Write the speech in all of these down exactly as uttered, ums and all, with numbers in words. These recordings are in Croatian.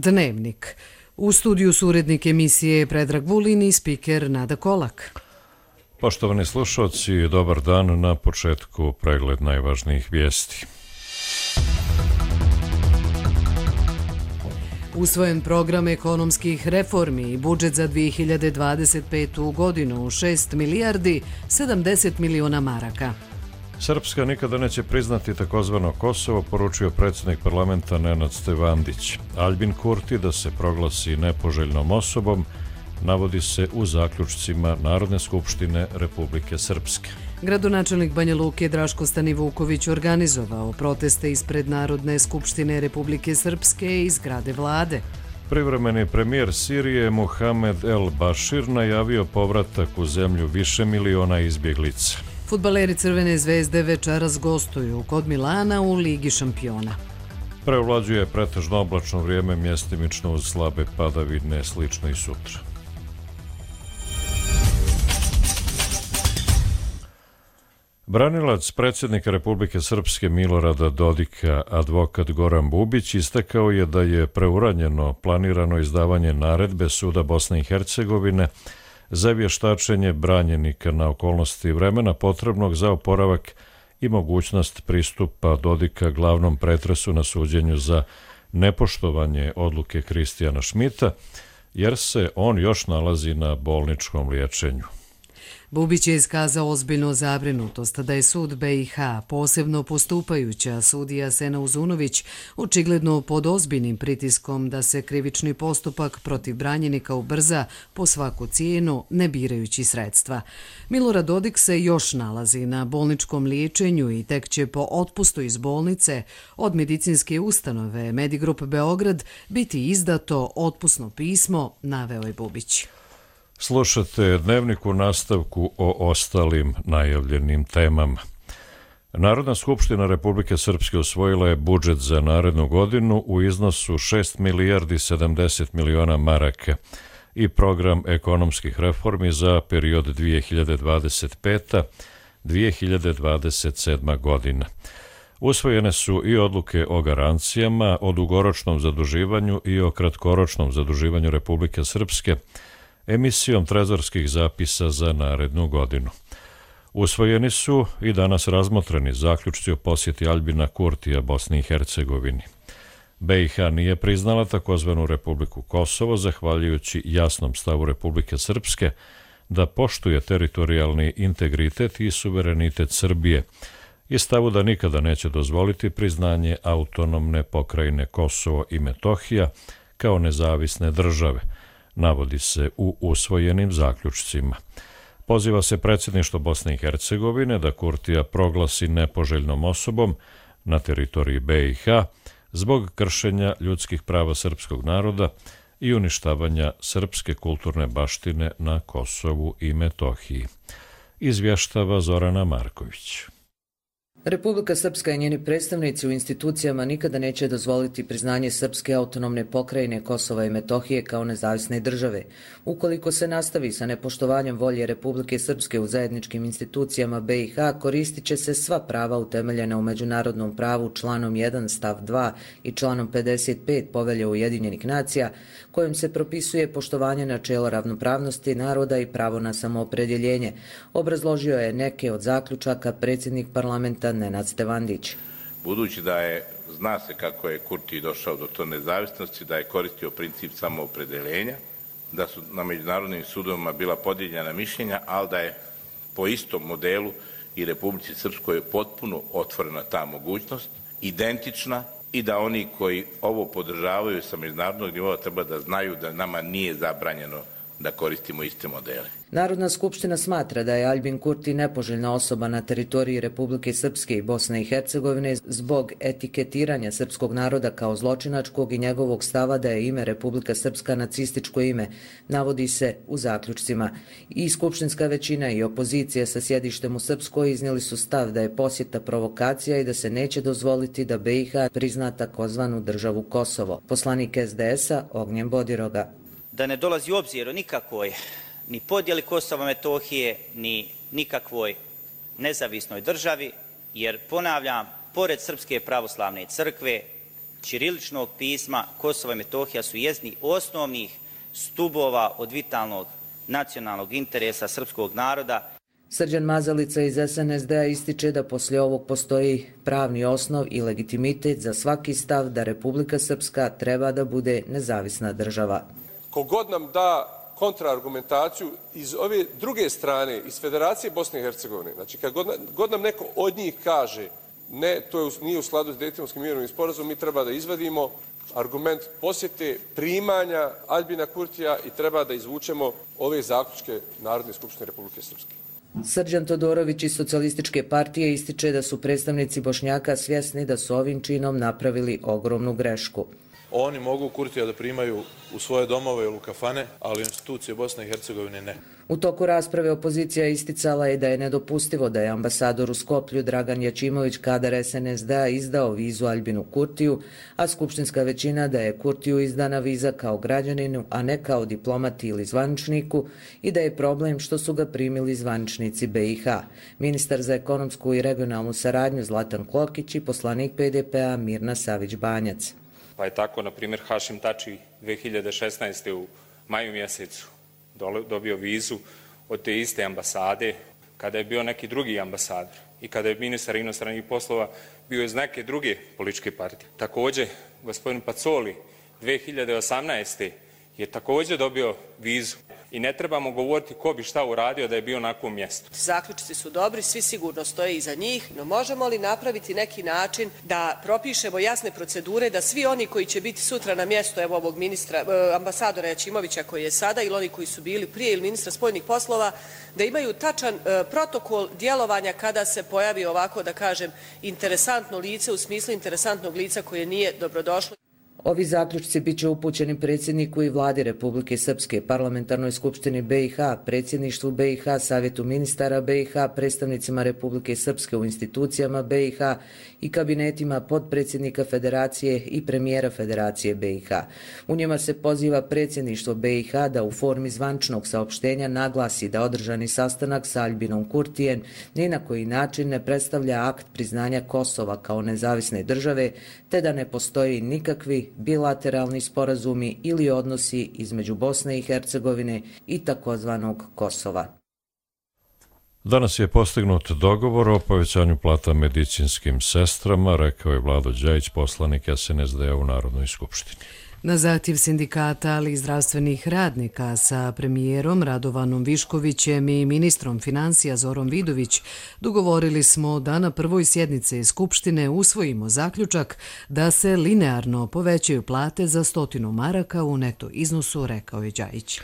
Dnevnik. U studiju su urednik emisije Predrag Vulin i spiker Nada Kolak. Poštovani slušalci, dobar dan. Na početku pregled najvažnijih vijesti. Usvojen program ekonomskih reformi i budžet za dvije hiljade dvadeset petu. godinu šest milijardi sedamdeset miliona maraka. Srpska nikada neće priznati takozvano Kosovo, poručio predsjednik parlamenta Nenad Stevandić. Aljbin Kurti da se proglasi nepoželjnom osobom navodi se u zaključcima Narodne skupštine Republike Srpske. Gradonačelnik Banja Luke Draško Stanivuković organizovao proteste ispred Narodne skupštine Republike Srpske i zgrade vlade. Privremeni premijer Sirije Mohamed El Bashir najavio povratak u zemlju više miliona izbjeglica. Fudbaleri Crvene zvezde večeras gostuju kod Milana u Ligi šampiona. Preovlađuje pretežno oblačno vrijeme, mjestimično uz slabe padavine, slično i sutra. Branilac predsjednika Republike Srpske Milorada Dodika, advokat Goran Bubić, istakao je da je preuranjeno planirano izdavanje naredbe Suda Bosne i Hercegovine za vještačenje branjenika na okolnosti vremena potrebnog za oporavak i mogućnost pristupa Dodika glavnom pretresu na suđenju za nepoštovanje odluke Kristijana Šmita, jer se on još nalazi na bolničkom liječenju. Bubić je iskazao ozbiljnu zabrinutost da je sud B i H, posebno postupajuća sudija Sena Uzunović, očigledno pod ozbiljnim pritiskom da se krivični postupak protiv branjenika ubrza po svaku cijenu, ne birajući sredstva. Milorad Dodik se još nalazi na bolničkom liječenju i tek će po otpustu iz bolnice od medicinske ustanove Medigrup Beograd biti izdato otpusno pismo, naveo je Bubić. Slušate Dnevnik u nastavku o ostalim najavljenim temama. Narodna skupština Republike Srpske usvojila je budžet za narednu godinu u iznosu šest milijardi sedamdeset miliona maraka i program ekonomskih reformi za period dvije hiljade dvadeset peta do dvije hiljade dvadeset sedma. godina. Usvojene su i odluke o garancijama, o dugoročnom zaduživanju i o kratkoročnom zaduživanju Republike Srpske emisijom trezorskih zapisa za narednu godinu. Usvojeni su i danas razmotreni zaključci o posjeti Aljbina Kurtija Bosni i Hercegovini. B i H nije priznala takozvanu Republiku Kosovo, zahvaljujući jasnom stavu Republike Srpske da poštuje teritorijalni integritet i suverenitet Srbije i stavu da nikada neće dozvoliti priznanje autonomne pokrajine Kosovo i Metohija kao nezavisne države, navodi se u usvojenim zaključcima. Poziva se predsjedništvo Bosne i Hercegovine da Kurtija proglasi nepoželjnom osobom na teritoriji B i H zbog kršenja ljudskih prava srpskog naroda i uništavanja srpske kulturne baštine na Kosovu i Metohiji. Izvještava Zorana Marković. Republika Srpska i njeni predstavnici u institucijama nikada neće dozvoliti priznanje Srpske autonomne pokrajine Kosova i Metohije kao nezavisne države. Ukoliko se nastavi sa nepoštovanjem volje Republike Srpske u zajedničkim institucijama B i H, koristit će se sva prava utemeljena u međunarodnom pravu članom jedan stav dva i članom pedeset pet Povelje Ujedinjenih nacija, kojim se propisuje poštovanje načela ravnopravnosti naroda i pravo na samoopredjeljenje. Obrazložio je neke od zaključaka predsjednik parlamenta Nenad Stevandić. Budući da je, zna se kako je Kurti došao do to nezavisnosti, da je koristio princip samoopredeljenja, da su na međunarodnim sudovima bila podijeljena mišljenja, ali da je po istom modelu i Republici Srpskoj potpuno otvorena ta mogućnost, identična, i da oni koji ovo podržavaju sa međunarodnog nivoa treba da znaju da nama nije zabranjeno da koristimo iste modele. Narodna skupština smatra da je Aljbin Kurti nepoželjna osoba na teritoriji Republike Srpske i Bosne i Hercegovine zbog etiketiranja srpskog naroda kao zločinačkog i njegovog stava da je ime Republika Srpska nacističko ime, navodi se u zaključcima. I skupštinska većina i opozicija sa sjedištem u Srpskoj iznijeli su stav da je posjeta provokacija i da se neće dozvoliti da B i H prizna takozvanu državu Kosovo. Poslanik S D S-a Ognjen Bodiroga. Da ne dolazi u obzir o nikakvoj ni podjeli Kosova i Metohije, ni nikakvoj nezavisnoj državi, jer ponavljam, pored Srpske pravoslavne crkve, ćiriličnog pisma, Kosovo i Metohija su jedni osnovnih stubova od vitalnog nacionalnog interesa srpskog naroda. Srđan Mazalica iz S N S D-a ističe da poslije ovog postoji pravni osnov i legitimitet za svaki stav da Republika Srpska treba da bude nezavisna država. Kogod nam da kontraargumentaciju iz ove druge strane, iz Federacije Bosne i Hercegovine, znači kad god, god nam neko od njih kaže ne, to je, nije u skladu s Dejtonskim mirovnim sporazumom, mi treba da izvadimo argument posjete primanja Aljbina Kurtija i treba da izvučemo ove zaključke Narodne skupštine Republike Srpske. Srđan Todorović iz Socijalističke partije ističe da su predstavnici Bošnjaka svjesni da su ovim činom napravili ogromnu grešku. Oni mogu Kurtija da primaju u svoje domove ili u kafane, ali institucije Bosne i Hercegovine ne. U toku rasprave opozicija isticala je da je nedopustivo da je ambasador u Skoplju Dragan Jačimović, kadar S N S D-a, izdao vizu Aljbinu Kurtiju, a skupštinska većina da je Kurtiju izdana viza kao građaninu, a ne kao diplomati ili zvaničniku, i da je problem što su ga primili zvaničnici B i H. Ministar za ekonomsku i regionalnu saradnju Zlatan Klokić i poslanik P D P-a Mirna Savić-Banjac. Pa je tako, na primjer, Hašim Tači dve hiljade šesnaeste. u maju mjesecu dobio vizu od te iste ambasade kada je bio neki drugi ambasador i kada je ministar inostranih poslova bio iz neke druge političke partije. Također, gospodin Pacoli dve hiljade osamnaeste. je također dobio vizu. I ne trebamo govoriti ko bi šta uradio da je bio na kom mjestu. Zaključci su dobri, svi sigurno stoje iza njih, no možemo li napraviti neki način da propišemo jasne procedure da svi oni koji će biti sutra na mjestu evo ovog ministra, ambasadora Jačimovića koji je sada ili oni koji su bili prije ili ministra spoljnih poslova, da imaju tačan protokol djelovanja kada se pojavi ovako, da kažem, interesantno lice u smislu interesantnog lica koje nije dobrodošlo. Ovi zaključci bit će upućeni predsjedniku i vladi Republike Srpske, Parlamentarnoj skupštini B i H, predsjedništvu B i H, Savjetu ministara B i H, predstavnicima Republike Srpske u institucijama B i H i kabinetima podpredsjednika Federacije i premijera Federacije B i H. U njima se poziva predsjedništvo B i H da u formi zvančnog saopštenja naglasi da održani sastanak sa Aljbinom Kurtijem ni na koji način ne predstavlja akt priznanja Kosova kao nezavisne države, te da ne postoji nikakvi bilateralni sporazumi ili odnosi između Bosne i Hercegovine i takozvanog Kosova. Danas je postignut dogovor o povećanju plata medicinskim sestrama, rekao je Vlado Đajić, poslanik S N S D-a u Narodnoj skupštini. Na zahtjev sindikata, ali i zdravstvenih radnika sa premijerom Radovanom Viškovićem i ministrom financija Zorom Vidović dogovorili smo da na prvoj sjednici Skupštine usvojimo zaključak da se linearno povećaju plate za stotinu maraka u neto iznosu, rekao je Đajić.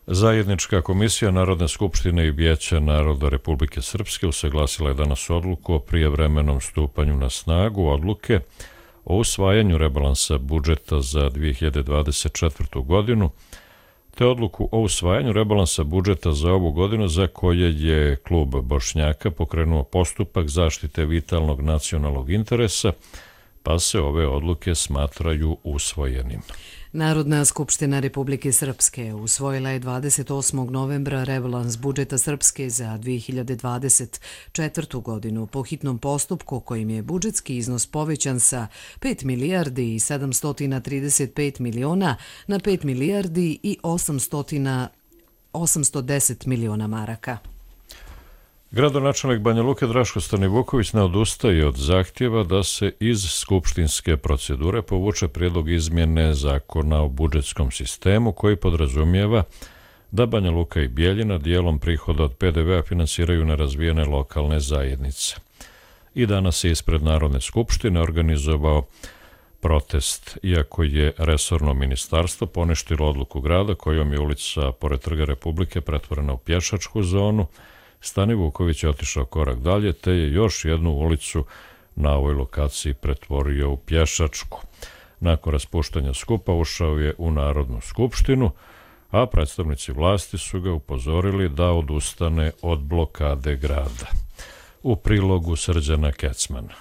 Zajednička komisija Narodne skupštine i Vijeća naroda Republike Srpske usaglasila je danas odluku o prijevremenom stupanju na snagu odluke o usvajanju rebalansa budžeta za dvije hiljade dvadeset četvrtu. godinu, te odluku o usvajanju rebalansa budžeta za ovu godinu za koje je klub Bošnjaka pokrenuo postupak zaštite vitalnog nacionalnog interesa, pa se ove odluke smatraju usvojenim. Narodna skupština Republike Srpske usvojila je dvadeset osmog novembra rebalans budžeta Srpske za dvije hiljade dvadeset četvrtu. godinu po hitnom postupku kojim je budžetski iznos povećan sa pet milijardi i sedamsto trideset pet miliona na pet milijardi i osamsto deset miliona maraka. Gradonačelnik Banja Luke Draško Stanivuković ne odustaje od zahtjeva da se iz skupštinske procedure povuče prijedlog izmjene zakona o budžetskom sistemu koji podrazumijeva da Banja Luka i Bijeljina dijelom prihoda od P D V-a finansiraju nerazvijene lokalne zajednice. I danas je ispred Narodne skupštine organizovao protest, iako je resorno ministarstvo poništilo odluku grada kojom je ulica pored Trga Republike pretvorena u pješačku zonu. Stanivuković je otišao korak dalje, te je još jednu ulicu na ovoj lokaciji pretvorio u pješačku. Nakon raspuštanja skupa ušao je u Narodnu skupštinu, a predstavnici vlasti su ga upozorili da odustane od blokade grada. U prilogu Srđana Kecmana.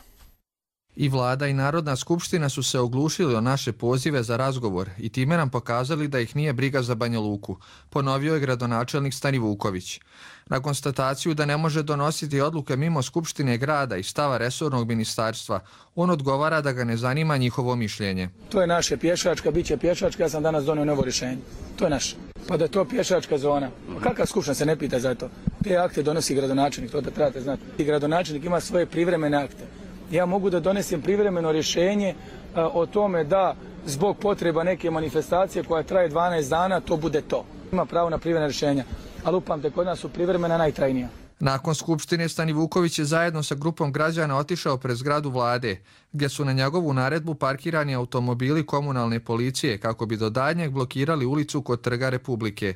I vlada i Narodna skupština su se oglušili o naše pozive za razgovor i time nam pokazali da ih nije briga za Banja Luku, ponovio je gradonačelnik Stanivuković. Na konstataciju da ne može donositi odluke mimo Skupštine grada i stava resornog ministarstva, on odgovara da ga ne zanima njihovo mišljenje. To je naše pješačka, bit će pješačka, ja sam danas donio novo rješenje. To je naše. Pa da je to pješačka zona. Pa kakva skupština se ne pita za to? Te akte donosi gradonačelnik, to da trebate znati. I gradonačelnik ima svoje privremene akte. Ja mogu da donesem privremeno rješenje a, o tome da zbog potreba neke manifestacije koja traje dvanaest dana, to bude to. Ima pravo na privremena rješenja, ali upamte, kod nas su privremena najtrajnija. Nakon skupštine Stanivuković je zajedno sa grupom građana otišao pred zgradu vlade, gdje su na njegovu naredbu parkirani automobili komunalne policije kako bi do daljnjeg blokirali ulicu kod Trga Republike.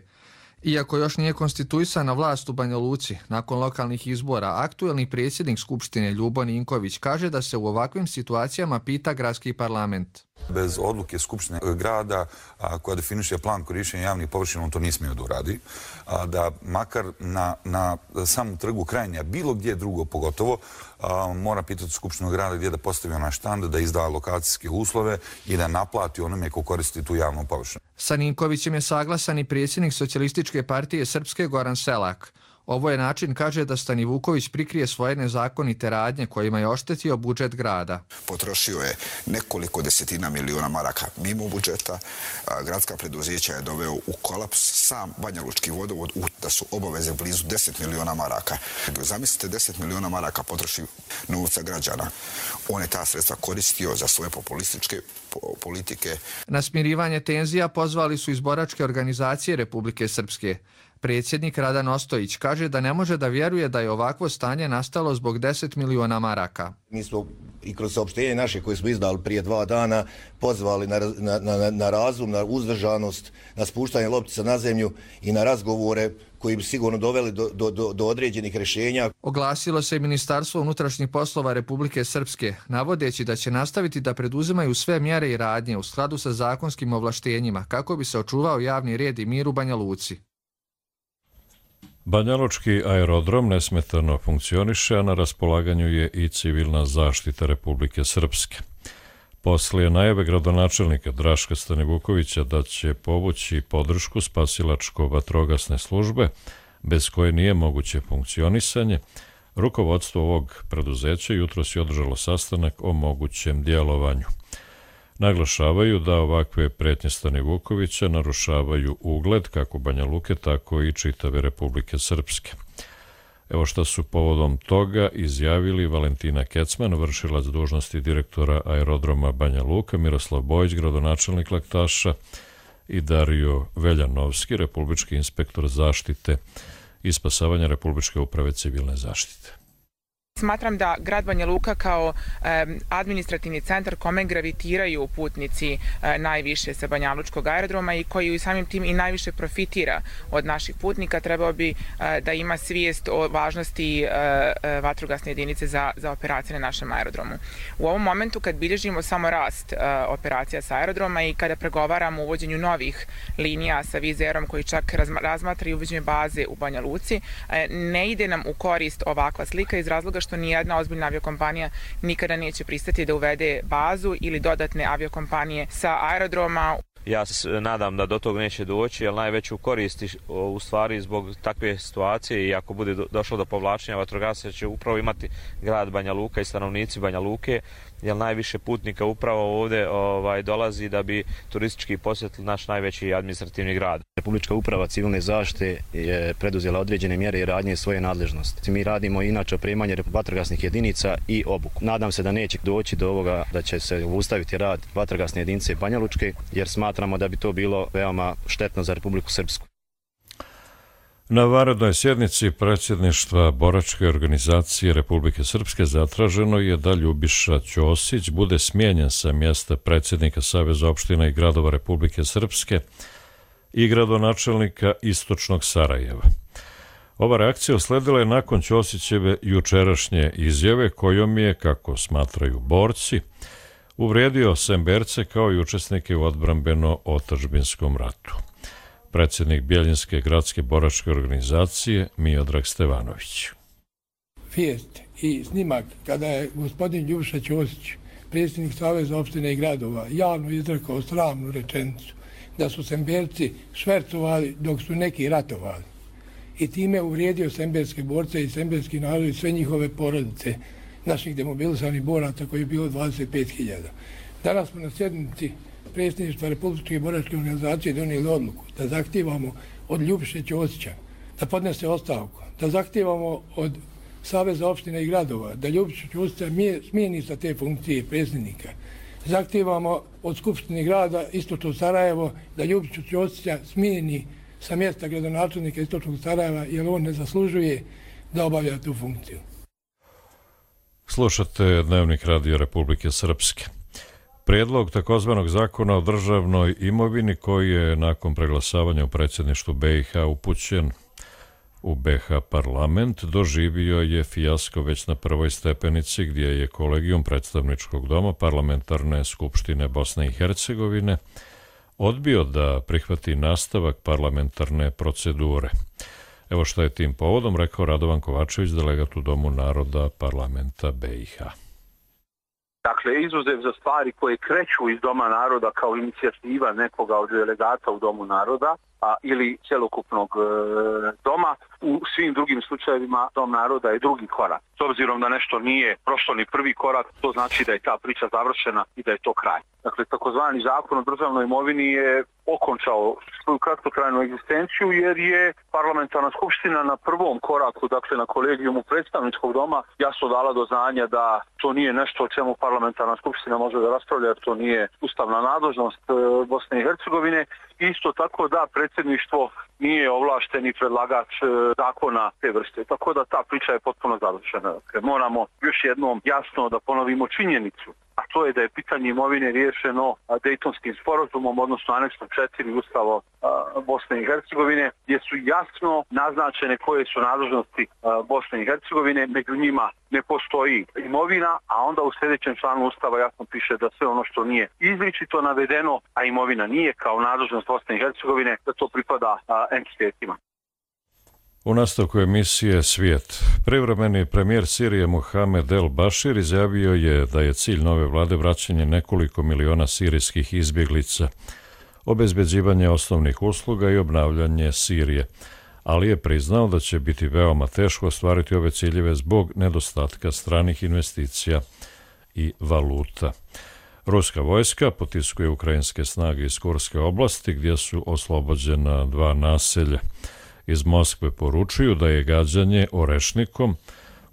Iako još nije konstituisana vlast u Banja Luci, nakon lokalnih izbora, aktuelni predsjednik Skupštine Ljubo Ninković kaže da se u ovakvim situacijama pita gradski parlament. Bez odluke Skupštine grada a, koja definiše plan korištenja javnih površina, on to nije smio da uradi, a, da makar na, na samom trgu Krajnja, bilo gdje drugo pogotovo, a, mora pitati Skupštinu grada gdje da postavi onaj štand, da izda lokacijske uslove i da naplati onome ko koristi tu javnu površinu. Sa Ninkovićem je saglasan i predsjednik Socijalističke partije Srpske Goran Selak. Ovo je način, kaže, da Stanivuković prikrije svoje nezakonite radnje kojima je oštetio budžet grada. Potrošio je nekoliko desetina miliona maraka mimo budžeta. Gradska preduzeća je doveo u kolaps. Sam Banja Lučki vodovod, da su obaveze blizu deset miliona maraka. Zamislite, deset miliona maraka potroši novca građana. On je ta sredstva koristio za svoje populističke politike. Na smirivanje tenzija pozvali su iz boračke organizacije Republike Srpske. Predsjednik Radan Ostojić kaže da ne može da vjeruje da je ovakvo stanje nastalo zbog deset miliona maraka. Mi smo i kroz saopštenje naše koje smo izdali prije dva dana pozvali na, na, na, na razum, na uzdržanost, na spuštanje loptica na zemlju i na razgovore koji bi sigurno doveli do, do, do, do određenih rješenja. Oglasilo se i Ministarstvo unutrašnjih poslova Republike Srpske, navodeći da će nastaviti da preduzimaju sve mjere i radnje u skladu sa zakonskim ovlaštenjima kako bi se očuvao javni red i mir u Banja Luci. Banjalučki aerodrom nesmetano funkcioniše, a na raspolaganju je i civilna zaštita Republike Srpske. Poslije najave gradonačelnika Draška Stanivukovića da će povući podršku spasilačko-vatrogasne službe, bez koje nije moguće funkcionisanje, rukovodstvo ovog preduzeća jutros je održalo sastanak o mogućem djelovanju. Naglašavaju da ovakve pretnje Stanivukovića narušavaju ugled kako Banja Luke, tako i čitave Republike Srpske. Evo šta su povodom toga izjavili Valentina Kecman, vršilac dužnosti direktora aerodroma Banja Luka, Miroslav Bojić, gradonačelnik Laktaša, i Dario Veljanovski, republički inspektor zaštite i spasavanja Republičke uprave civilne zaštite. Smatram da grad Banja Luka kao e, administrativni centar kome gravitiraju putnici e, najviše sa banjalučkog aerodroma i koji samim tim i najviše profitira od naših putnika, trebao bi e, da ima svijest o važnosti e, e, vatrogasne jedinice za, za operacije na našem aerodromu. U ovom momentu kad bilježimo samo rast e, operacija sa aerodroma i kada pregovaramo o uvođenju novih linija sa Vizerom koji čak razmatra i uvođenje baze u Banja Luci, e, ne ide nam u korist ovakva slika iz razloga što nijedna ozbiljna aviokompanija nikada neće pristati da uvede bazu ili dodatne aviokompanije sa aerodroma. Ja se nadam da do tog neće doći, jer najveću koristi u stvari zbog takve situacije i ako bude došlo do povlačenja vatrogasaca će upravo imati grad Banja Luka i stanovnici Banja Luke, jer najviše putnika upravo ovdje ovaj, dolazi da bi turistički posjetili naš najveći administrativni grad. Republička uprava civilne zaštite je preduzela određene mjere i radnje svoje nadležnosti. Mi radimo inače opremanje vatrogasnih jedinica i obuku. Nadam se da neće doći do ovoga da će se ustaviti rad vatrogasne jedinice Banja Lučke, jer smatramo da bi to bilo veoma štetno za Republiku Srpsku. Na vanrednoj sjednici predsjedništva boračke organizacije Republike Srpske zatraženo je da Ljubiša Ćosić bude smijenjen sa mjesta predsjednika Saveza opština i gradova Republike Srpske i gradonačelnika Istočnog Sarajeva. Ova reakcija usledila je nakon Ćosićeve jučerašnje izjave kojom je, kako smatraju borci, uvrijedio Semberce kao i učesnike u odbrambeno-otadžbinskom ratu. Predsjednik Bjeljinske gradske boračke organizacije Miodrag Stevanović. Vijest i snimak kada je gospodin Ljubiša Ćosić predsjednik Saveza opštine i gradova, javno izrekao sramnu rečenicu da su Semberci švercovali dok su neki ratovali. I time uvrijedio semberske borce i semberski narod i sve njihove porodice naših demobilisanih boraca koji je bilo dvadeset pet hiljada. Danas smo na sjednici predsjedništva Republičke boračke organizacije donijeli odluku da zahtijevamo od Ljubiše Ćosića da podnese ostavku, da zahtijevamo od Saveza opština i gradova da Ljubiša Ćosića smijeni sa te funkcije predsjednika. Zahtijevamo od Skupštine grada Istočno Sarajevo da Ljubiša Ćosića smijeni sa mjesta gradonačelnika Istočnog Sarajeva jer on ne zaslužuje da obavlja tu funkciju. Slušate Dnevnik Radio Republike Srpske. Prijedlog takozvanog zakona o državnoj imovini koji je nakon preglasavanja u predsjedništvu B i H upućen u B H parlament doživio je fijasko već na prvoj stepenici gdje je kolegijum predstavničkog doma Parlamentarne skupštine Bosne i Hercegovine odbio da prihvati nastavak parlamentarne procedure. Evo što je tim povodom rekao Radovan Kovačević, delegat u Domu naroda parlamenta B i H. Dakle, izuzev za stvari koje kreću iz Doma naroda kao inicijativa nekoga od delegata u Domu naroda a, ili cjelokupnog e, doma, u svim drugim slučajevima Dom naroda je drugi korak. S obzirom da nešto nije prošlo ni prvi korak, to znači da je ta priča završena i da je to kraj. Dakle, takozvani zakon o državnoj imovini je okončao svoju kratkotrajnu egzistenciju jer je parlamentarna skupština na prvom koraku, dakle na kolegijumu predstavničkog doma, jasno dala do znanja da to nije nešto o čemu parlamentarna skupština može da raspravlja jer to nije ustavna nadležnost e, Bosne i Hercegovine. Isto tako da predsjedništvo nije ovlašteni predlagač e, zakona te vrste. Tako da ta priča je potpuno završena. Dakle, moramo još jednom jasno da ponovimo činjenicu, a to je da je pitanje imovine riješeno Dejtonskim sporazumom, odnosno aneksom četiri Ustava Bosne i Hercegovine, gdje su jasno naznačene koje su nadležnosti Bosne i Hercegovine, među njima ne postoji imovina, a onda u sljedećem članu Ustava jasno piše da sve ono što nije izričito navedeno, a imovina nije kao nadležnost Bosne i Hercegovine, da to pripada entitetima. U nastavku emisije Svijet, privremeni premijer Sirije Mohamed El Bašir izjavio je da je cilj nove vlade vraćanje nekoliko miliona sirijskih izbjeglica, obezbeđivanje osnovnih usluga i obnavljanje Sirije, ali je priznao da će biti veoma teško ostvariti ove ciljeve zbog nedostatka stranih investicija i valuta. Ruska vojska potiskuje ukrajinske snage iz Kurske oblasti gdje su oslobođena dva naselja. Iz Moskve poručuju da je gađanje orešnikom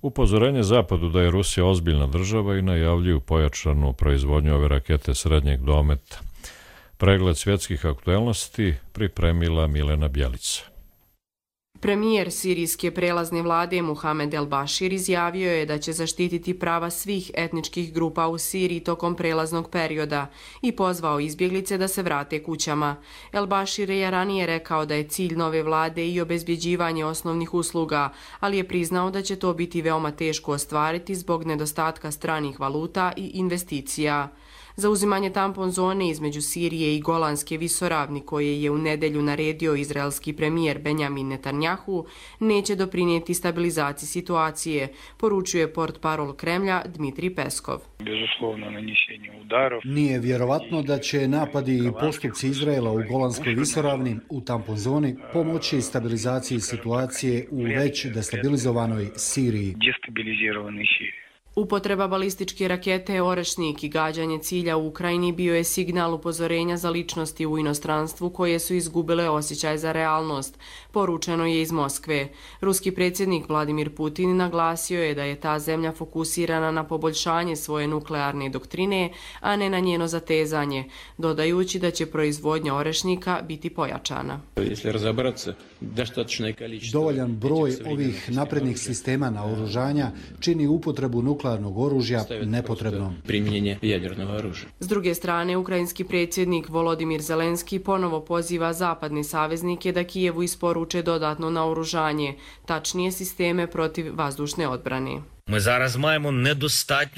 upozorenje Zapadu da je Rusija ozbiljna država i najavljuju pojačanu proizvodnju ove rakete srednjeg dometa. Pregled svjetskih aktuelnosti pripremila Milena Bjelica. Premijer sirijske prelazne vlade Mohamed El Bašir izjavio je da će zaštititi prava svih etničkih grupa u Siriji tokom prelaznog perioda i pozvao izbjeglice da se vrate kućama. El Bašir je ranije rekao da je cilj nove vlade i obezbjeđivanje osnovnih usluga, ali je priznao da će to biti veoma teško ostvariti zbog nedostatka stranih valuta i investicija. Zauzimanje tampon zone između Sirije i Golanske visoravni koje je u nedelju naredio izraelski premijer Benjamin Netanjahu neće doprinijeti stabilizaciji situacije, poručuje portparol Kremlja Dmitrij Peskov. Nije vjerovatno da će napadi i postupci Izraela u Golanskoj visoravni u tampon zoni pomoći stabilizaciji situacije u već destabilizovanoj Siriji. Upotreba balističke rakete Orešnik i gađanje cilja u Ukrajini bio je signal upozorenja za ličnosti u inostranstvu koje su izgubile osjećaj za realnost, poručeno je iz Moskve. Ruski predsjednik Vladimir Putin naglasio je da je ta zemlja fokusirana na poboljšanje svoje nuklearne doktrine, a ne na njeno zatezanje, dodajući da će proizvodnja orešnika biti pojačana. Dovoljan broj ovih naprednih sistema naoružanja čini upotrebu nuklearnog oružja nepotrebnom. S druge strane, ukrajinski predsjednik Volodimir Zelenski ponovo poziva zapadne saveznike da Kijevu isporuče dodatno naoružanje, tačnije sisteme protiv vazdušne odbrane.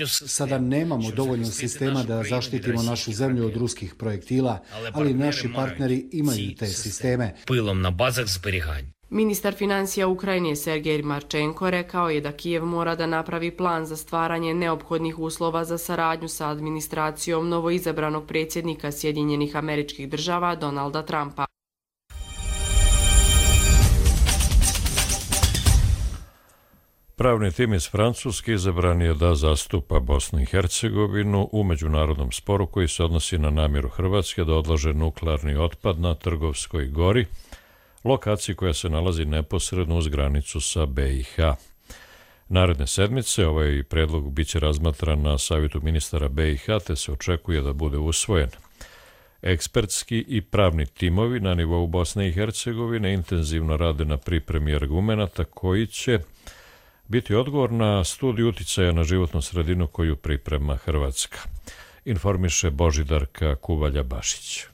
Sada nemamo dovoljno sistema da zaštitimo našu zemlju od ruskih projektila, ali naši partneri imaju te sisteme. Ministar financija Ukrajine Sergej Marčenko rekao je da Kijev mora da napravi plan za stvaranje neophodnih uslova za saradnju sa administracijom novoizabranog predsjednika Sjedinjenih Američkih Država Donalda Trumpa. Pravni tim iz Francuske izabran je da zastupa Bosnu i Hercegovinu u međunarodnom sporu koji se odnosi na namjeru Hrvatske da odlaže nuklearni otpad na Trgovskoj gori, lokaciji koja se nalazi neposredno uz granicu sa B i H. Naredne sedmice ovaj predlog biće razmatran na savjetu ministara B i H, te se očekuje da bude usvojen. Ekspertski i pravni timovi na nivou Bosne i Hercegovine intenzivno rade na pripremi argumenata koji će biti odgovor na studiju uticaja na životnu sredinu koju priprema Hrvatska, informiše Božidarka Kuvalja-Bašić.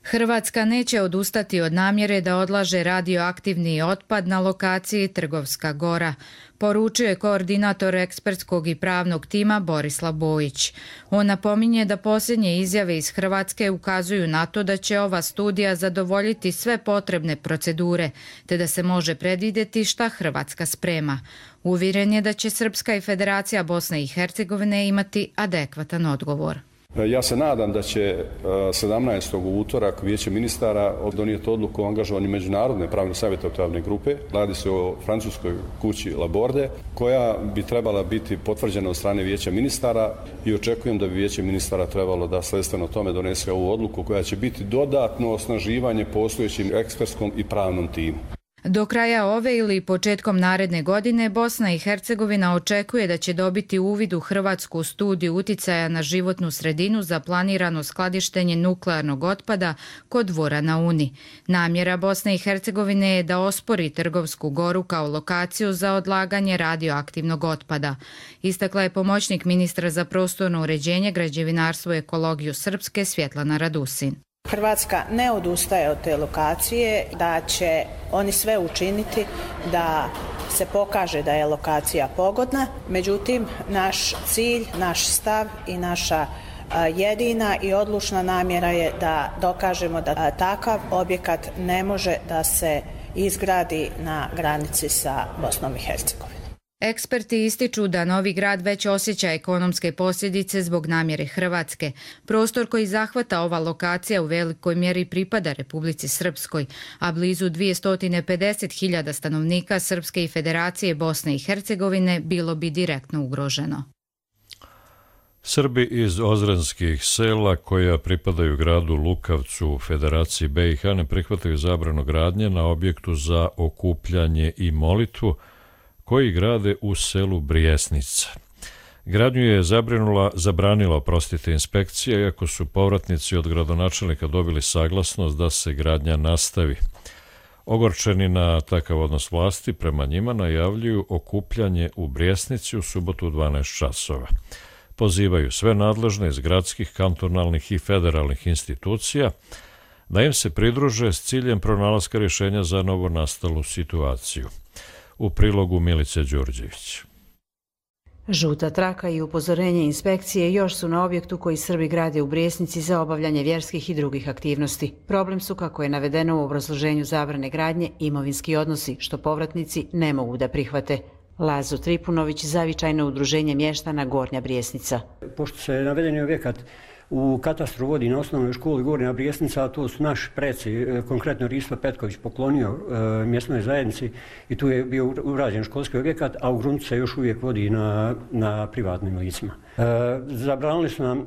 Hrvatska neće odustati od namjere da odlaže radioaktivni otpad na lokaciji Trgovska gora, poručio je koordinator ekspertskog i pravnog tima Borislav Bojić. On napominje da posljednje izjave iz Hrvatske ukazuju na to da će ova studija zadovoljiti sve potrebne procedure, te da se može predvidjeti šta Hrvatska sprema. Uvjeren je da će Srpska i Federacija Bosne i Hercegovine imati adekvatan odgovor. Ja se nadam da će sedamnaestog u utorak Vijeće ministara donijeti odluku o angažovanju međunarodne pravne savjetodavne grupe. Radi se o francuskoj kući Laborde, koja bi trebala biti potvrđena od strane Vijeća ministara i očekujem da bi Vijeće ministara trebalo da sledstveno tome donese ovu odluku koja će biti dodatno osnaživanje postojećim ekspertskom i pravnom timu. Do kraja ove ili početkom naredne godine Bosna i Hercegovina očekuje da će dobiti uvid u hrvatsku studiju uticaja na životnu sredinu za planirano skladištenje nuklearnog otpada kod Dvora na Uni. Namjera Bosne i Hercegovine je da ospori Trgovsku goru kao lokaciju za odlaganje radioaktivnog otpada. Istakla je pomoćnik ministra za prostorno uređenje, građevinarstvo i ekologiju Srpske Svjetlana Radusin. Hrvatska ne odustaje od te lokacije, da će oni sve učiniti da se pokaže da je lokacija pogodna. Međutim, naš cilj, naš stav i naša jedina i odlučna namjera je da dokažemo da takav objekat ne može da se izgradi na granici sa Bosnom i Hercegovinom. Eksperti ističu da Novi Grad već osjeća ekonomske posljedice zbog namjere Hrvatske. Prostor koji zahvata ova lokacija u velikoj mjeri pripada Republici Srpskoj, a blizu dvjesto pedeset hiljada stanovnika Srpske i Federacije Bosne i Hercegovine bilo bi direktno ugroženo. Srbi iz ozrenskih sela koja pripadaju gradu Lukavcu u Federaciji B i H ne prihvataju zabranu gradnje na objektu za okupljanje i molitvu koji grade u selu Brijesnica. Gradnju je zabrinula, zabranila oprostite inspekcija, iako su povratnici od gradonačelnika dobili saglasnost da se gradnja nastavi. Ogorčeni na takav odnos vlasti prema njima najavljuju okupljanje u Brijesnici u subotu u dvanaest časova. Pozivaju sve nadležne iz gradskih, kantonalnih i federalnih institucija da im se pridruže s ciljem pronalaska rješenja za novonastalu situaciju. U prilogu Milice Đurđević. Žuta traka i upozorenje inspekcije još su na objektu koji Srbi grade u Brijesnici za obavljanje vjerskih i drugih aktivnosti. Problem su, kako je navedeno u obrazloženju zabrane gradnje, imovinski odnosi, što povratnici ne mogu da prihvate. Lazo Tripunović, zavičajno udruženje mještana Gornja Brijesnica. Pošto se navedeni objekat u katastru vodi na osnovnoj školi Gornja Brijesnica, a to su naši preci, konkretno Risto Petković poklonio e, mjesnoj zajednici i tu je bio urađen školski objekat, a u gruntu se još uvijek vodi na, na privatnim licima. E, zabranili su nam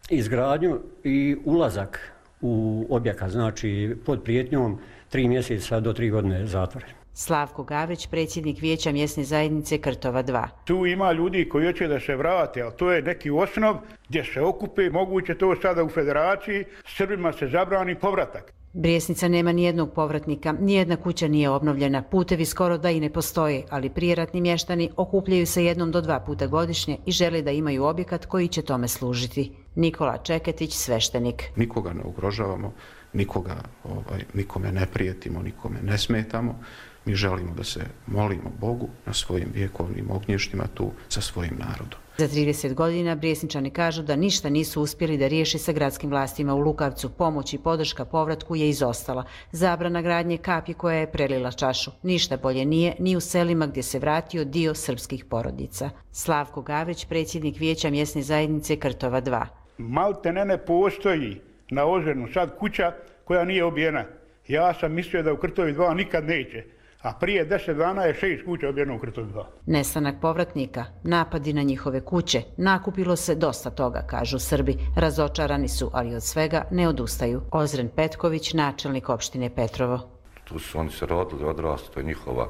izgradnju i ulazak u objekat, znači pod prijetnjom tri mjeseca do tri godine zatvora. Slavko Gavrić, predsjednik Vijeća mjesne zajednice Krtova dva. Tu ima ljudi koji hoće da se vrate, ali to je neki osnov gdje se okupe, moguće to sada u federaciji, Srbima se zabrani povratak. Brijesnica nema nijednog povratnika, nijedna kuća nije obnovljena, putevi skoro da i ne postoje, ali prijeratni mještani okupljaju se jednom do dva puta godišnje i žele da imaju objekat koji će tome služiti. Nikola Čeketić, sveštenik. Nikoga ne ugrožavamo, nikoga, ovaj, nikome ne prijetimo, nikome ne smetamo. Mi želimo da se molimo Bogu na svojim vjekovnim ognjištima tu sa svojim narodom. Za trideset godina Brijesničani kažu da ništa nisu uspjeli da riješi sa gradskim vlastima u Lukavcu. Pomoć i podrška povratku je izostala. Zabrana gradnje kapi koja je prelila čašu. Ništa bolje nije ni u selima gdje se vratio dio srpskih porodica. Slavko Gavrić, predsjednik Vijeća mjesne zajednice Krtova dva. Malte ne ne postoji na Ozrenu sad kuća koja nije obijena. Ja sam mislio da u Krtovi dva nikad neće. A prije deset dana je šest kuća obijeno u Krtovi dva. Nestanak povratnika, napadi na njihove kuće, nakupilo se dosta toga, kažu Srbi. Razočarani su, ali od svega ne odustaju. Ozren Petković, načelnik opštine Petrovo. Tu su oni se rodili, odrasli, to je njihova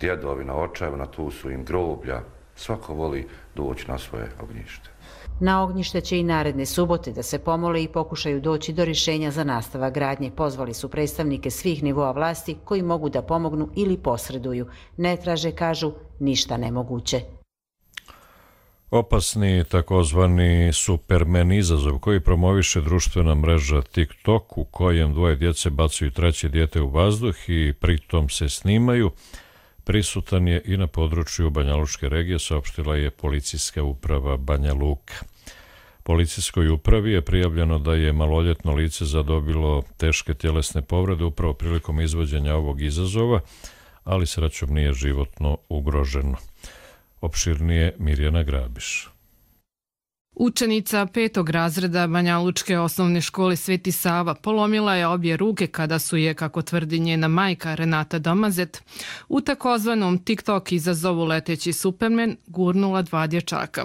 djedovina, očevina, tu su im groblja. Svako voli doći na svoje ognjište. Na ognjište će i naredne subote da se pomole i pokušaju doći do rješenja za nastavak gradnje. Pozvali su predstavnike svih nivoa vlasti koji mogu da pomognu ili posreduju. Ne traže, kažu, ništa nemoguće. Opasni takozvani supermen izazov koji promoviše društvena mreža TikTok u kojem dvoje djece bacaju treće dijete u vazduh i pritom se snimaju, prisutan je i na području Banjalučke regije, saopštila je policijska uprava Banja Luka. Policijskoj upravi je prijavljeno da je maloljetno lice zadobilo teške tjelesne povrede upravo prilikom izvođenja ovog izazova, ali srećom nije životno ugroženo. Opširnije Mirjana Grabiš. Učenica petog razreda Banjalučke osnovne škole Sveti Sava polomila je obje ruke kada su je, kako tvrdi njena majka Renata Domazet, u takozvanom TikTok izazovu Leteći Supermen gurnula dva dječaka.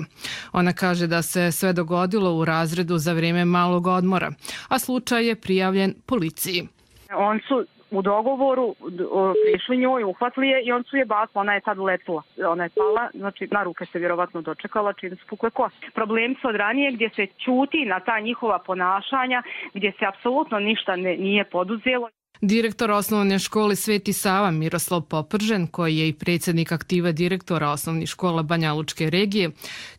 Ona kaže da se sve dogodilo u razredu za vrijeme malog odmora, a slučaj je prijavljen policiji. On su u dogovoru prišli njoj, uhvatili je i on su je bacili, ona je tad uletila. Ona je pala, znači na ruke se vjerovatno dočekala čim su pukle kosti. Problem su od ranije gdje se ćuti na ta njihova ponašanja, gdje se apsolutno ništa ne, nije poduzelo. Direktor osnovne škole Sveti Sava Miroslav Popržen, koji je i predsjednik aktiva direktora osnovnih škola Banjalučke regije,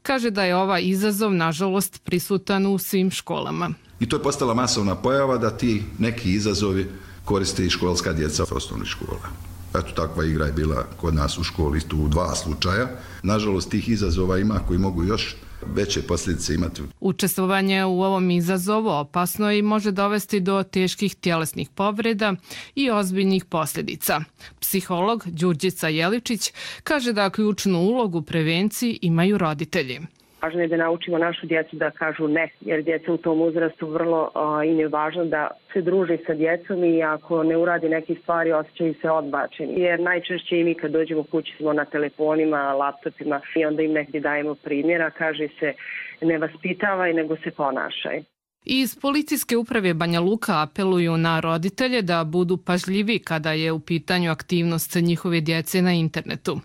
kaže da je ovaj izazov nažalost prisutan u svim školama. I to je postala masovna pojava da ti neki izazovi koriste i školska djeca osnovnih škola. Eto, takva igra je bila kod nas u školi, tu u dva slučaja. Nažalost, tih izazova ima koji mogu još veće posljedice imati. Učestvovanje u ovom izazovu opasno i može dovesti do teških tjelesnih povreda i ozbiljnih posljedica. Psiholog Đurđica Jeličić kaže da ključnu ulogu u prevenciji imaju roditelji. Važno je da naučimo našu djecu da kažu ne, jer djeca u tom uzrastu vrlo a, im je važno da se druže sa djecom i ako ne uradi neke stvari osjećaju se odbačeni. Jer najčešće i mi kad dođemo kući smo na telefonima, laptopima i onda im negdje dajemo primjera, kaže se ne vaspitavaj nego se ponašaj. Iz policijske uprave Banja Luka apeluju na roditelje da budu pažljivi kada je u pitanju aktivnost njihove djece na internetu.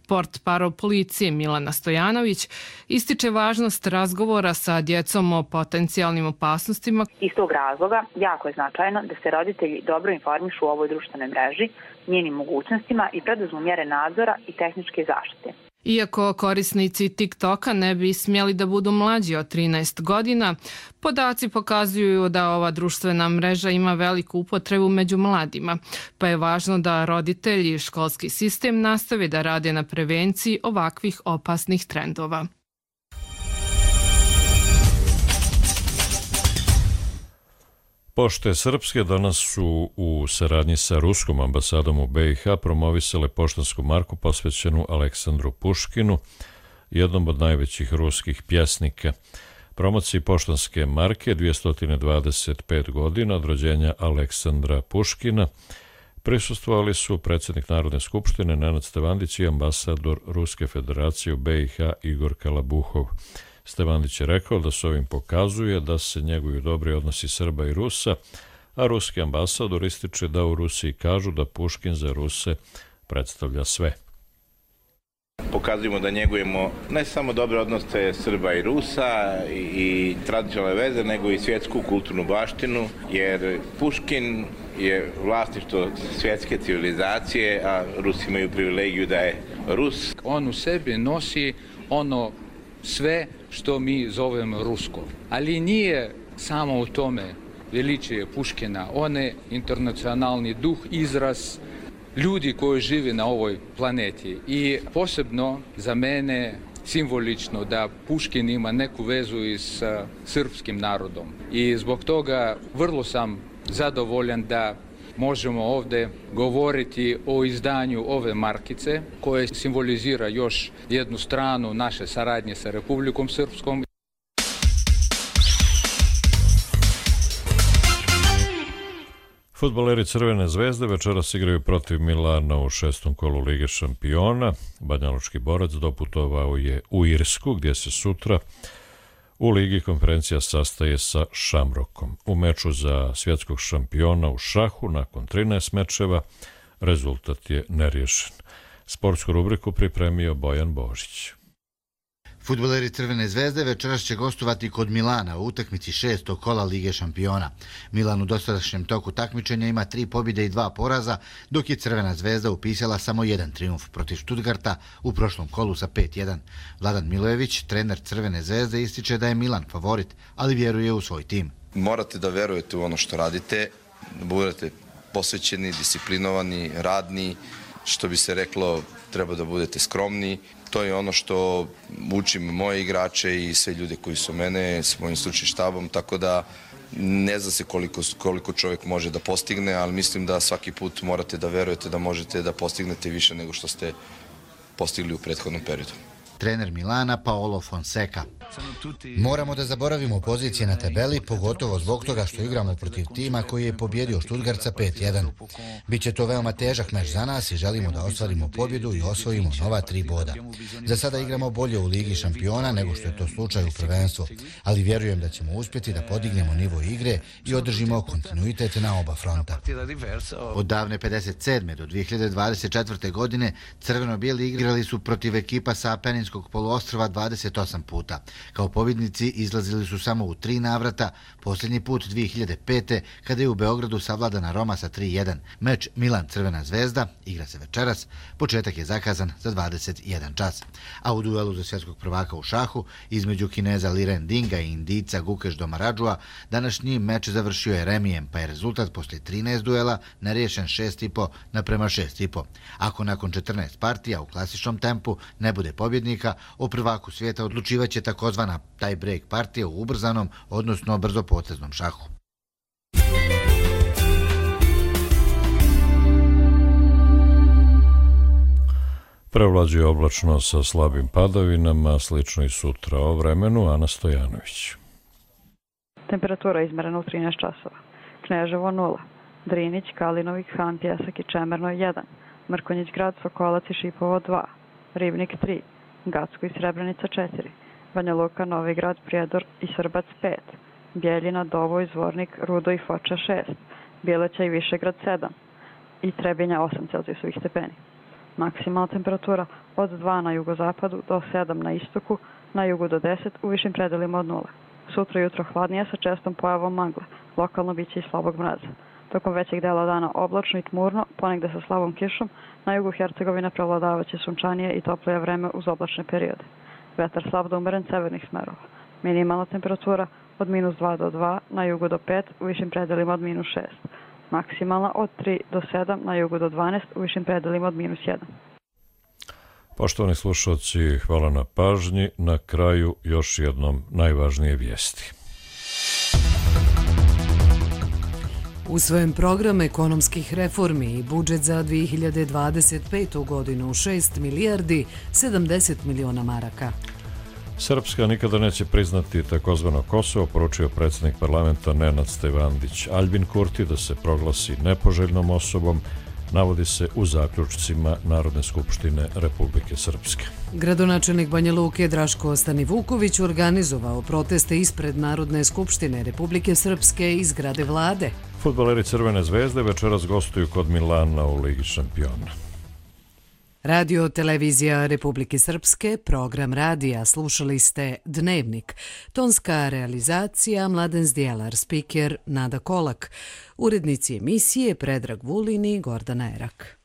Portparol policije Milana Stojanović ističe važnost razgovora sa djecom o potencijalnim opasnostima. Iz tog razloga jako je značajno da se roditelji dobro informišu o ovoj društvenoj mreži, njenim mogućnostima i preduzmu mjere nadzora i tehničke zaštite. Iako korisnici TikToka ne bi smjeli da budu mlađi od trinaest godina, podaci pokazuju da ova društvena mreža ima veliku upotrebu među mladima, pa je važno da roditelji i školski sistem nastave da rade na prevenciji ovakvih opasnih trendova. Pošte srpske danas su u saradnji sa Ruskom ambasadom u B i H promovisale poštansku marku posvećenu Aleksandru Puškinu, jednom od najvećih ruskih pjesnika. Promociji poštanske marke dvjesto dvadeset pet godina od rođenja Aleksandra Puškina prisustvovali su predsjednik Narodne skupštine Nenad Stevandić i ambasador Ruske federacije u B i H Igor Kalabuhov. Stevandić je rekao da se ovim pokazuje da se njeguju dobri odnosi Srba i Rusa, a ruski ambasador ističe da u Rusiji kažu da Puškin za Ruse predstavlja sve. Pokazujemo da njegujemo ne samo dobre odnose Srba i Rusa i, i tradicionalne veze, nego i svjetsku kulturnu baštinu, jer Puškin je vlasništvo svjetske civilizacije, a Rusi imaju privilegiju da je Rus. On u sebi nosi ono sve što mi zovemo rusko. Ali nije samo u tome veličije Puškina, on je internacionalni duh, izraz ljudi koji žive na ovoj planeti. I posebno za mene simbolično da Puškin ima neku vezu i s srpskim narodom. I zbog toga vrlo sam zadovoljan da možemo ovdje govoriti o izdanju ove markice koje simbolizira još jednu stranu naše saradnje sa Republikom Srpskom. Fudbaleri Crvene zvezde večeras igraju protiv Milana u šestom kolu Lige šampiona. Banjalučki borac doputovao je u Irsku, gdje se sutra u Ligi konferencija sastaje sa Šamrokom. U meču za svjetskog šampiona u šahu nakon trinaest mečeva rezultat je neriješen. Sportsku rubriku pripremio Bojan Božić. Fudbaleri Crvene zvezde večeras će gostovati kod Milana u utakmici šestog kola Lige šampiona. Milan u dosadašnjem toku takmičenja ima tri pobjede i dva poraza, dok je Crvena zvezda upisala samo jedan trijumf protiv Stuttgarta u prošlom kolu sa pet jedan. Vladan Milojević, trener Crvene zvezde, ističe da je Milan favorit, ali vjeruje u svoj tim. Morate da verujete u ono što radite, da budete posvećeni, disciplinovani, radni, što bi se reklo, treba da budete skromni. To je ono što učim moje igrače i sve ljude koji su mene s mojim stručnim štabom, tako da ne zna se koliko, koliko čovjek može da postigne, ali mislim da svaki put morate da verujete da možete da postignete više nego što ste postigli u prethodnom periodu. Trener Milana Paolo Fonseca. Moramo da zaboravimo pozicije na tabeli, pogotovo zbog toga što igramo protiv tima koji je pobjedio Stuttgart sa pet jedan. Biće to veoma težak meč za nas i želimo da ostvarimo pobjedu i osvojimo nova tri boda. Za sada igramo bolje u Ligi šampiona nego što je to slučaj u prvenstvu, ali vjerujem da ćemo uspjeti da podignemo nivo igre i održimo kontinuitet na oba fronta. Od davne pedeset sedme do dvije hiljade dvadeset četvrte. godine crveno-bijeli igrali su protiv ekipa sa Apeninskog poluostrva dvadeset osam puta. Kao pobjednici izlazili su samo u tri navrata, posljednji put dvije hiljade pete. kada je u Beogradu savladana Roma sa tri jedan. Meč Milan-Crvena zvezda igra se večeras, početak je zakazan za dvadeset jedan čas. A u duelu za svjetskog prvaka u šahu između Kineza Liren Dinga i Indijca Gukeš Domaradžua današnji meč završio je remijem, pa je rezultat poslije trinaest duela neriješen šest i po naprema šest i po. Ako nakon četrnaest partija u klasičnom tempu ne bude pobjednika, o prvaku svijeta odlučivaće takozvana tie break partija u ubrzanom, odnosno brzopoteznom šahu. Prevlađuje oblačno sa slabim padavinama, slično i sutra o vremenu. Ana Stojanović. Temperatura izmerena u trinaest časova. Kneževo nula, Drinić, Kalinovik, Han, Pjesak i Čemerno jedan, Mrkonjić grad, Sokolac i Šipovo dva, Ribnik tri, Gacko i Srebrenica četiri, Banja Luka, Novi Grad, Prijedor i Srbac pet, Bjeljina, Dovoj, Zvornik, Rudo i Foča šest, Bjeleća i Višegrad sedam i Trebinja osam Celzijusovih stepeni. Maksimalna temperatura od dva na jugozapadu do sedam na istoku, na jugu do deset, u višim predelima od nula. Sutra jutro hladnije sa čestom pojavom magle, lokalno biće i slabog mraza. Tokom većeg dela dana oblačno i tmurno, ponegde sa slabom kišom, na jugu Hercegovine prevladavaće sunčanije i toplije vreme uz oblačne periode. Vetar slab do umeren severnih smerova. Minimalna temperatura od minus dva do dva, na jugu do pet, u višim predelima od minus šest. Maksimalna od tri do sedam, na jugu do dvanaest, u višim predelima od minus jedan. Poštovani slušalci, hvala na pažnji. Na kraju još jednom najvažnije vijesti. Usvojen program ekonomskih reformi i budžet za dvije hiljade dvadeset petu. godinu šest milijardi sedamdeset miliona maraka. Srpska nikada neće priznati takozvano Kosovo, poručio predsjednik parlamenta Nenad Stevandić. Aljbin Kurti da se proglasi nepoželjnom osobom navodi se u zaključcima Narodne skupštine Republike Srpske. Gradonačelnik Banja Luke Draško Stanivuković organizovao proteste ispred Narodne skupštine Republike Srpske iz zgrade vlade. Fudbaleri Crvene zvezde večeras gostuju kod Milana u Ligi šampiona. Radio Televizija Republike Srpske, program radija, slušali ste Dnevnik. Tonska realizacija Mladen Zdjelar, spiker Nada Kolak. Urednici emisije Predrag Vulin i Gordana Erak.